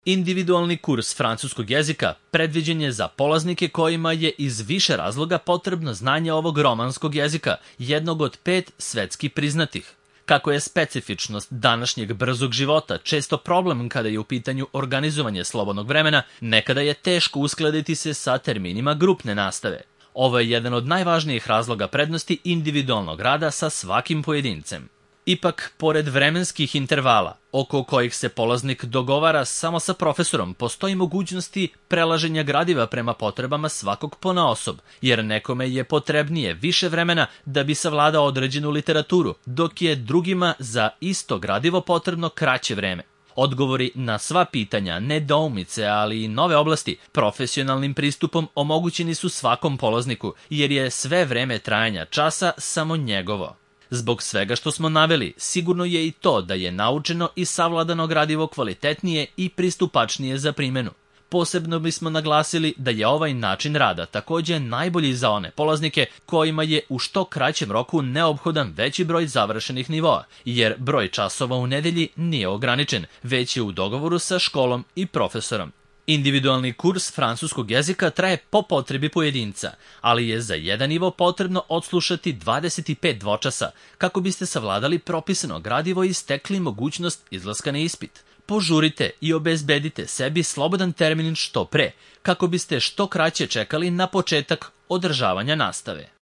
Individualni kurs francuskog jezika predviđen je za polaznike kojima je iz više razloga potrebno znanje ovog romanskog jezika, jednog od 5 svetski priznatih. Kako je specifičnost današnjeg brzog života često problem kada je u pitanju organizovanje slobodnog vremena, nekada je teško uskladiti se sa terminima grupne nastave. Ovo je jedan od najvažnijih razloga prednosti individualnog rada sa svakim pojedincem. Ipak, pored vremenskih intervala, oko kojih se polaznik dogovara samo sa profesorom, postoji mogućnosti prelaženja gradiva prema potrebama svakog ponaosob, jer nekome je potrebnije više vremena da bi savladao određenu literaturu, dok je drugima za isto gradivo potrebno kraće vreme. Odgovori na sva pitanja, nedoumice, ali i nove oblasti, profesionalnim pristupom omogućeni su svakom polazniku, jer je sve vreme trajanja časa samo njegovo. Zbog svega što smo naveli, sigurno je i to da je naučeno i savladano gradivo kvalitetnije i pristupačnije za primjenu. Posebno bismo naglasili da je ovaj način rada također najbolji za one polaznike kojima je u što kraćem roku neophodan veći broj završenih nivoa, jer broj časova u nedelji nije ograničen, već je u dogovoru sa školom i profesorom. Individualni kurs francuskog jezika traje po potrebi pojedinca, ali je za jedan nivo potrebno odslušati 25 dvočasa kako biste savladali propisano gradivo i stekli mogućnost izlaska na ispit. Požurite i obezbedite sebi slobodan termin što pre, kako biste što kraće čekali na početak održavanja nastave.